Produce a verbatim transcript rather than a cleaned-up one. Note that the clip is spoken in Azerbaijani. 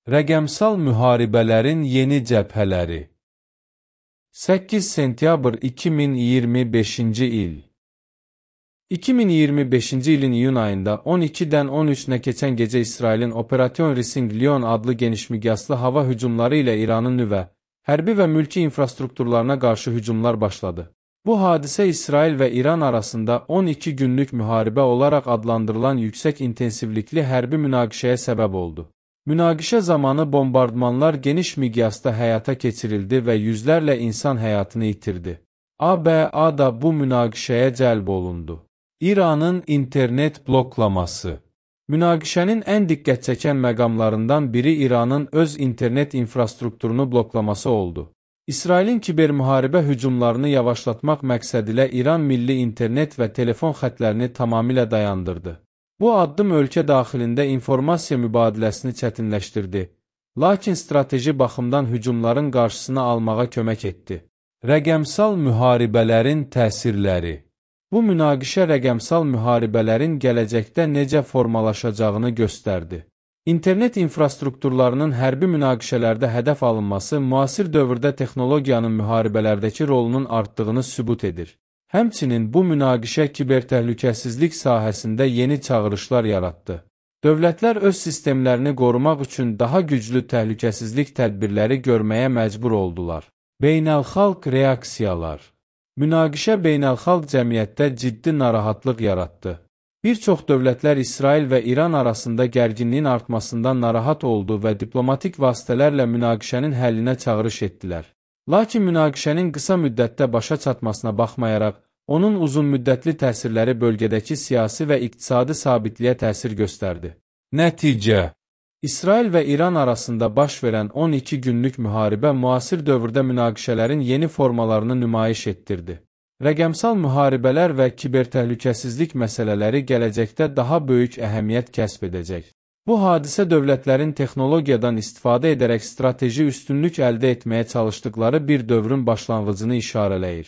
Rəqəmsal müharibələrin yeni cəbhələri. səkkiz sentyabr iki min iyirmi beşinci il. iki min iyirmi beşinci ilin iyun ayında on ikidən on üçünə keçən gecə İsrailin Operation Rising Lion adlı genişmiqyaslı hava hücumları ilə İranın nüvə, hərbi və mülki infrastrukturlarına qarşı hücumlar başladı. Bu hadisə İsrail və İran arasında on iki günlük müharibə olaraq adlandırılan yüksək intensivlikli hərbi münaqişəyə səbəb oldu. Münaqişə zamanı bombardmanlar geniş miqyasda həyata keçirildi və yüzlərlə insan həyatını itirdi. A B A da bu münaqişəyə cəlb olundu. İranın internet bloklaması. Münaqişənin ən diqqət çəkən məqamlarından biri İranın öz internet infrastrukturunu bloklaması oldu. İsrailin kibermüharibə hücumlarını yavaşlatmaq məqsədilə İran milli internet və telefon xətlərini tamamilə dayandırdı. Bu addım ölkə daxilində informasiya mübadiləsini çətinləşdirdi, lakin strateji baxımdan hücumların qarşısını almağa kömək etdi. Rəqəmsal müharibələrin təsirləri. Bu münaqişə rəqəmsal müharibələrin gələcəkdə necə formalaşacağını göstərdi. İnternet infrastrukturlarının hərbi münaqişələrdə hədəf alınması müasir dövrdə texnologiyanın müharibələrdəki rolunun artdığını sübut edir. Həmçinin bu münaqişə kibertəhlükəsizlik sahəsində yeni çağırışlar yaratdı. Dövlətlər öz sistemlərini qorumaq üçün daha güclü təhlükəsizlik tədbirləri görməyə məcbur oldular. Beynəlxalq reaksiyalar. Münaqişə beynəlxalq cəmiyyətdə ciddi narahatlıq yaratdı. Bir çox dövlətlər İsrail və İran arasında gərginliyin artmasından narahat oldu və diplomatik vasitələrlə münaqişənin həllinə çağırış etdilər. Lakin münaqişənin qısa müddətdə başa çatmasına baxmayaraq, onun uzunmüddətli təsirləri bölgədəki siyasi və iqtisadi sabitliyə təsir göstərdi. Nəticə. İsrail və İran arasında baş verən on iki günlük müharibə müasir dövrdə münaqişələrin yeni formalarını nümayiş etdirdi. Rəqəmsal müharibələr və kibertəhlükəsizlik məsələləri gələcəkdə daha böyük əhəmiyyət kəsb edəcək. Bu hadisə dövlətlərin texnologiyadan istifadə edərək strateji üstünlük əldə etməyə çalışdıqları bir dövrün başlanğıcını işarələyir.